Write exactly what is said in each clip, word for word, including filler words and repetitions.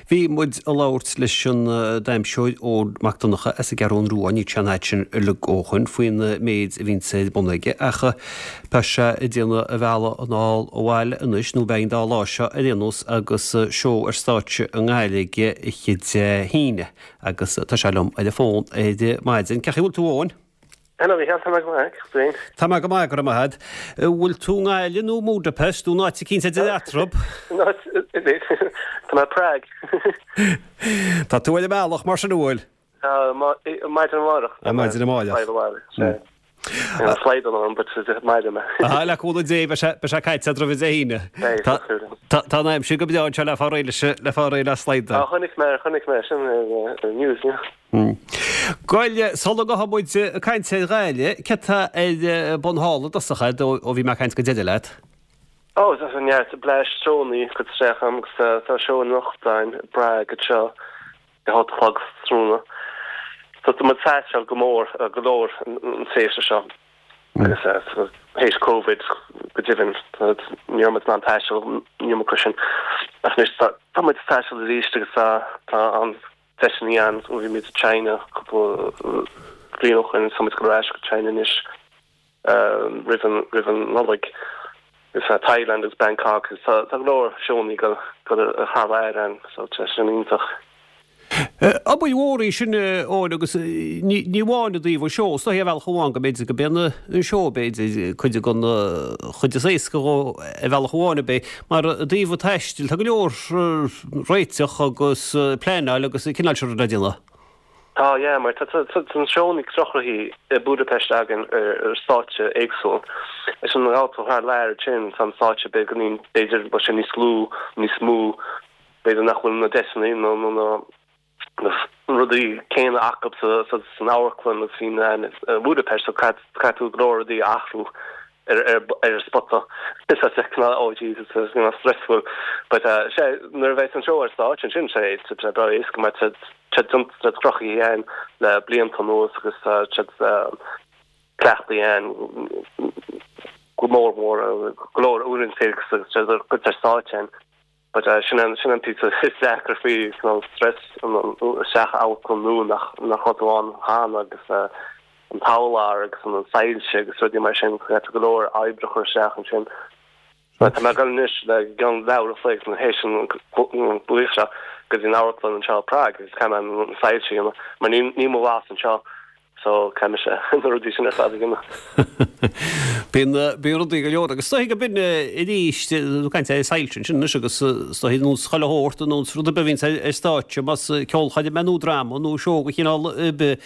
Bhí muid ag labhairt leis an damhsóir Eoin Mac Donncha as an gCeathrú Rua, níl sé an áit sin uilig ó shoin faoin méid a bhíonn ar bun aige ach tá sé ag déanamh a bhealaigh anall abhaile anois nó beidh an dá lá seo ar aon nós agus seó ar stáitse i nGaillimh aige oíche Dé hAoine agus tá sé liom ar an bhfón ar maidin. Cén chaoi a bhfuil tú, Eoin? Hello, Micheál, tá mé go maith, féin. Tá mé go maith, go raibh maith agat. Bhfuil tú i nGaillimh nó Budapest nó áit eicínt idir eatarthu? Tá mé Prague. Tá tú ar an mbealach mar sin bhfuil? Tá maidin amárach. Maidin amárach. Slide an but maidin mé. Ah le cúnamh Dé beidh sé caite roimh Dé hAoine. Tá an aimsir go breá anseo le fáil réidh le fáil réidh le slide. Ah chonaic mé chonaic mé sin news. Bhuel sula ngabhfaidh muid ag caint ar Ghaillimh, céard atá ar bun thall i dtosach ó bhí mé ag caint go deireadh leat? Ó tá neart bleis seónna curtha isteach agam agus tá seó anocht ann i bPrág anseo ag a hocht a chlog tráthnóna. So tá muid ag taisteal go mór go leor an tréimhse seo agus théis Covid go deimhin ní raibh muid in ann taisteal an iomarca sin ach anois tá muid ag taisteal arís agus tá tá an deiseanna ann ó bhí muid i China cúpla bliain ó shin tá muid ag dul ar ais go China anois roimh an roimh an Nollaig agus Thailand agus Bangkok agus tá tá go leor seónna go go thar lear ann so tá sin iontach. Obair mhór í sin Eoin agus ní amháin i dtaobh an seó, is dóichí ar bhealach amháin go mb'fhéidir go b'é an seó b'fhéidir cuid den chuid is éasca dhó ar bhealach amháin ab é, mar i dtaobh an taistil tá go leor réiteach agus pleanáil agus an cineál sin rud le déanamh. Tá, yeah, mar tá tá na seónna cruthaithe i Budapest againn ar stáitse éagsúil. Is an gabhal thar lear sin tá an stáitse beagáinín b'fhéidir bhfuil sé níos lú, níos mó, b'fhéidir nach bhfuil na deiseanna nó nó na na rudaí céanna acu sa san amharclann agus bhí in Budapest so caithfidh tú go leor rudaí a athrú ar ar ar an spota. Is é cineál oh Jesus is you know, stressful but uh, sé nuair a bheidh an seó ar stáitse ansin sé sé breá éasca mar tá tá tá cruthaithe ann le blianta anuas agus tá cleachtaí ann go mór mór go leor uaireanta agus tá cuid ar stáitse ann. But uh, sin an sin an píosa is deacra faoi cineál stress isteach amharclann nua nach nach raibh tú ann cheana agus uh, an t-urlár agus an soilse agus rudaí mar sin go go leor oibre a chur isteach ansin. Tá mé ag dul anois le ceann leathuair a chloig na théis an glaoch seo go dtí an amharclann anseo i Prague agus caithfidh mé an soilse a dhéanamh mar ní ní mo bhlas anseo so caithfidh mise na rudaí sin ar fad a dhéanamh. Bíonn bíonn rudaí go leor agus is dóichí go b'in arís tú caint ar soilse ansin anois agus is dóichí nós chuile shórt nós rud ar bith a bhíonns ar stáitse más ceolchoirm é nó dráma nó seó de chineál ar bith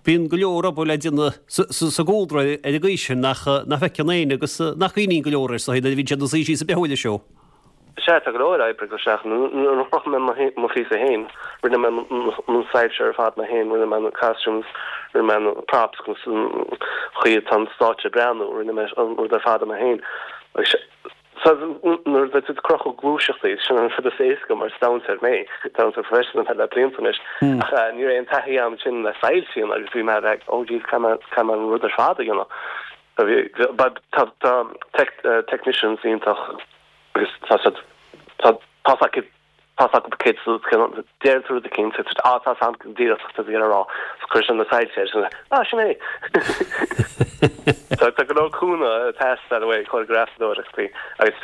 bíonn go leor obair le déanamh sa gcúlra ar an gcaoi sin nach nach bhfeiceann éinne agus nach gcuimhníonn go leor air is dóichí nuair a bhíonn siad ina suí síos ag breathnú ar an seó. Sea, tá go leor oibre go isteach nuair a chruthaigh mé mo phíosa féin, rinne mé na soilse ar fad mé féin, rinne mé na costumes, rinne mé na props agus an chaoi atá an stáitse ag breathnú, rinne mé an rud ar fad mé féin. So nuair a tú ag cruthú gluaiseachtaí sin an rud is éasca mar is damhsóir mé, damhsóir professional le blianta anois. Ach ní raibh aon taithí agam sin le soilse agus bhí mé like, oh geez, caithfidh mé caithfidh mé an rud ar fad a dhéanamh. Tá tá tech technicians iontach agus tá siad tá tá acu tá acu céad deir tú rud eicínt á tá am díreach tá a rá so chuir sin na soilse sin ah sin é. Tá tá go leor cúnamh ag teastáil uaidh choreografadóireachtaí agus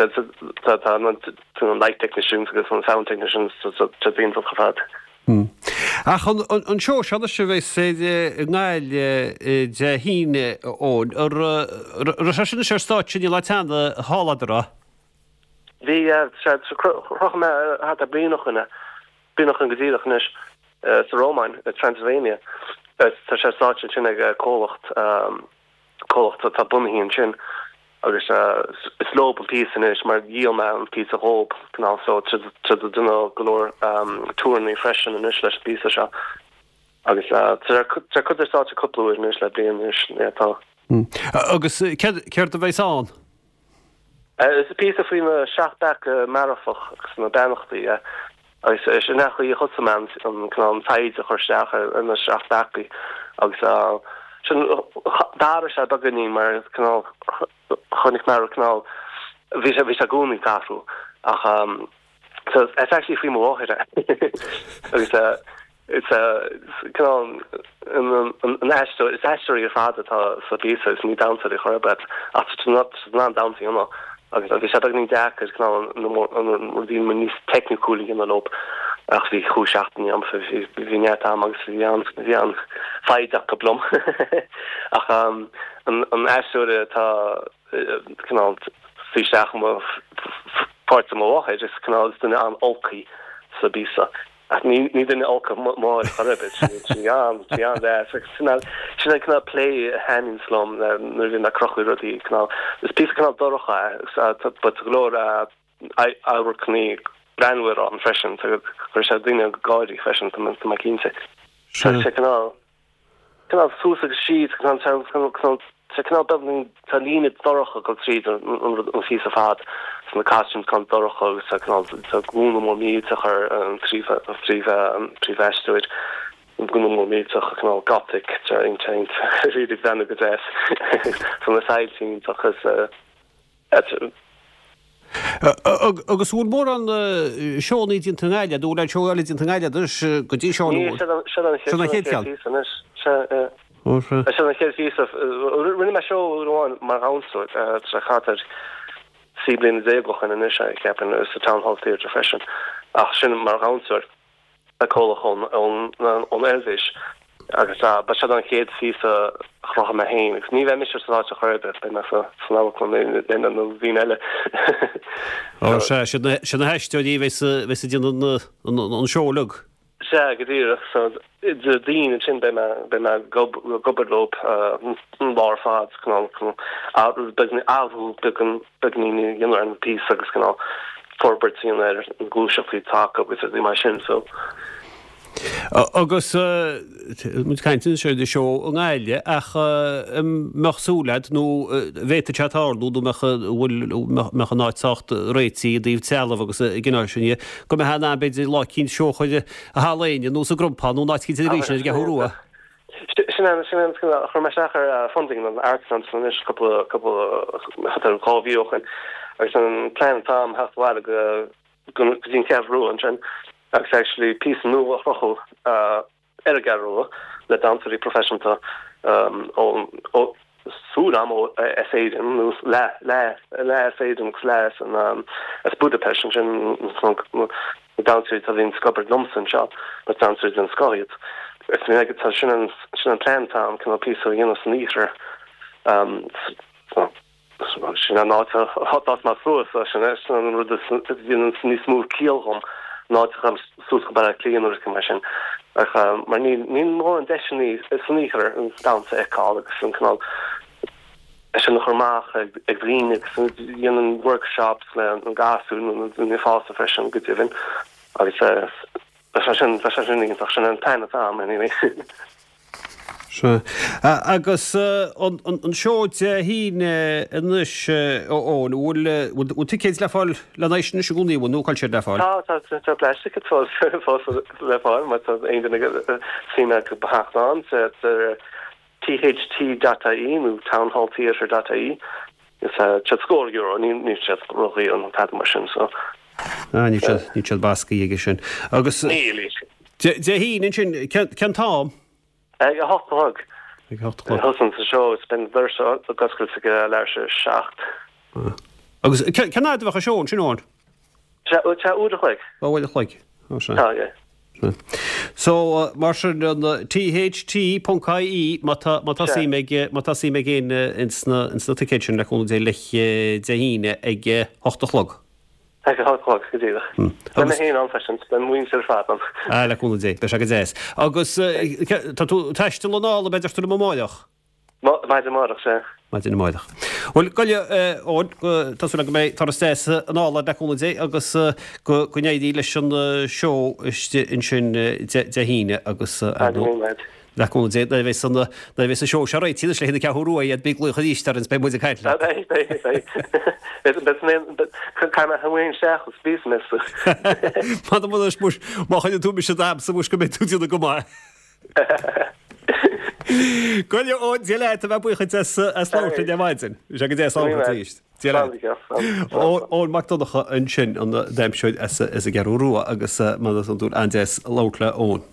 tá tá an light technicians agus an sound technicians tá iontach ar fad. Ach an seó seo anois a bheas i nGaillimh Dé hAoine Eoin an raibh sé sin anois ar stáitse níl cheana thall agat a? Bhí chruthaigh mé thart ar bliain ó shin bliain ó shin go díreach anois sa Rómáin i Transylvania. Tá sé stáitse ansin ag comhlacht comhlacht atá bunaithe ansin agus is leo an píosa anois mar dhíol mé an píosa dhób cineál so tá déanamh go leor tournée freisin anois leis an bpíosa seo. Agus tá cuid ar stáitse cúpla uair anois le bliain anois tá. Agus céard a bheas ann? Is píosa faoi na seacht bpeaca marfach agus na beannachtaí agus sin é chaoi a thosaigh mé an cineál an taighde a chur isteach ar na seacht bpeacaí agus sin d'athraigh sé beagáinín mar cineál chonaic mé cineál bhí sé bhí sé i gcónaí ag athrú ach So it's actually faoi mo mháthair agus uh, it's a cineál an aisteoir is aisteoirí ar fad atá sa phíosa is ní damhsóirí chor ar bith ach tá damhsa ann agus bhí sé beagáinín deacair cineál an rudaí níos teicniúla a dhéanamh leo ach bhí cúig seachtaine agam bhí bhí neart am agus bhí an bhí an foighid acu liom ach um, an an aisteoir atá cineál suí isteach mo pháirt mo mháthair is cineál is duine an-olc í sa bpíosa. Ach ní ní duine olc mo mháthair chor ar bith sí an sí an deas sin sin an cineál plé a thaitníonn liom nuair a bhíonn ag cruthú rudaí cineál is píosa cineál dorcha but go leor amharcanna greannmhar ann freisin chuir sé daoine ag gáirí freisin tá mé cinnte. Tá sé cineál cineál suas agus síos cineál Tá cineál beagáinín tá líne dorcha go tríd an an phíosa fad so na costumes cineál dorcha agus tá cineál tá gúna mór millteach ar an príomhaisteoir an gúna mór millteach cineál gothic tá iontach really bhean go deas so na sailtín agus Agus bhfuil mórán seónna déanta i nGaillimh, nó bhfuil seó eile déanta i nGaillimh go dtí seo Sin an chéad cheann. Sin an chéad phíosa. Rinne mé seó uair amháin mar dhamhsóir sa chathair trí bliana déag ó shin anois ceapaim sa Town Hall Theatre freisin ach sin mar dhamhsóir le comhlacht ón ón Eilvéis agus ba sin an chéad phíosa a chruthaigh mé féin agus ní bheidh mise sa áit chor ar bith beidh mé sa san amharclann le na daoine eile. Ó sea, sin na haisteoirí a bheas bheas ag déanamh an seó uilig. Sea, go díreach. So Déardaoin ansin beidh mé beidh mé ag obair leo an lá ar fad cineál cineál beagáinín athrú beagán beagáinín a dhéanamh ar an bpíosa agus cineál forbairt a dhéanamh ar an gluaiseachtaí atá acu agus rudaí mar sin so. Agus muid ag caint anois ar seó i nGaillimh ach an mbeadh súil agat nó bhféadfadh sé tarlú nó mbeadh bhfuil mbeadh an áit sách réitithe i dtaobh trealamh agus an cineál sin dhe go mbeadh in ann b'fhéidir lá eicínt seó a chur i Halla Éinne nó sa gCrompán nó in áit eicínt arís ar an gCeathrú Rua. Sin é sin é chuir mé isteach ar funding an Arts Council anois cúpla cúpla dhá mhí ó shin agus an plean atá agam theacht abhaile go go dtí an Cheathrú Rua ansin agus actually píosa nua a chruthú ar an gCeathrú Rua le damhsóirí proifisiúnta ó súil agam ó as Éirinn nó leath leath leath as Éirinn agus leath as an as Budapest ansin na damhsóirí atá bhíonn ag obair liomsa anseo but damhsóirí den scoth iad. Is mé tá sin an sin an plean atá agam cineál píosa a dhéanamh san iarthar so Sin an áit a d'fhás mé suas, sin é sin an rud a dhéanann níos mó ciall dhom ná áit a ghabháil suas go Baile Átha Cliath nó rud mar sin. Ach mar níl níl mórán deiseanna san iarthar an damhsa a fheiceáil agus an cineál é sin a chur amach ag ag daoine agus dhéanann workshops le na gasúir nó na daoine fásta freisin go deimhin agus bheadh sé sin bheadh sé sin iontach sin an plean atá agam anyway. Sea. Agus an seó Dé hAoine anois, a Eoin, bhfuil bhfuil ticéid le fáil lena aghaidh sin anois i gcónaí, bhfuil nó cá bhfuil siad le fáil? Tá, tá, tá Flash Tickets fós fós le fáil má tá aon duine suim acu theacht ann sa tht dot ie nó townhalltheatre dot ie. Is tá siad scór euro, ní níl siad ródhaor nó tada mar sin so. Ah, níl siad níl siad bascaí aige sin. Agus Níl. Dé hAoine ansin, cén t-am? Ag a hocht a chlog. Ag a hocht a chlog. Thosaíonn an seó is beidh na doirse ag oscailt ag leathuair tar éis a seacht. Agus cén fhad a bheadh an seó ansin, Eoin? Sea, sea, uair a chloig. Ó, uair a chloig. Ó, sea. Tá, yeah. Sea. So, mar sin, an THT ponc IE má tá, má tá suim ag, má tá suim ag éinne ins na, ins na ticéid sin le cúnamh Dé le Dé hAoine ag a hocht a chlog. Ag a hocht a chlog, go díreach. Beidh mé féin ann freisin, beidh an mhuintir ar fad ann. Ah, le cúnamh Dé, beidh sé go deas. Agus tá tú ag taisteal anall, b'fhéidir tú liom amárach? Maidin amárach, sea. Maidin amárach. Bhuel, go Eoin, tá súil agam go mbeidh turas deas anall agat le cúnamh Dé agus go n-éirí leis an seó istigh ansin Dé hAoine agus ar ndóigh. Le cúnamh Dé, nuair a bheas an, nuair a bheas an seó seo réitithe anois le haghaidh na Ceathrú Rua iad, bí ag glaoch arís orainn is beidh muid ag caint leat. Beidh, beidh, beidh. Beidh, beidh mé, caithfidh mé féin isteach agus píosa mé sa. M'anam anois muis, má choinníonn tú mise d'aimse muis go mbeidh tú ag déanamh go maith. Go leor, Dia leat, a bheith buíoch duit as, as labhairt linn ar maidin. Bhí sé go deas labhairt leat arís. Eoin Mac Donncha ansin an damhsóir as an gCeathrú Rua agus mar is iondúil an-deas labhairt le Eoin.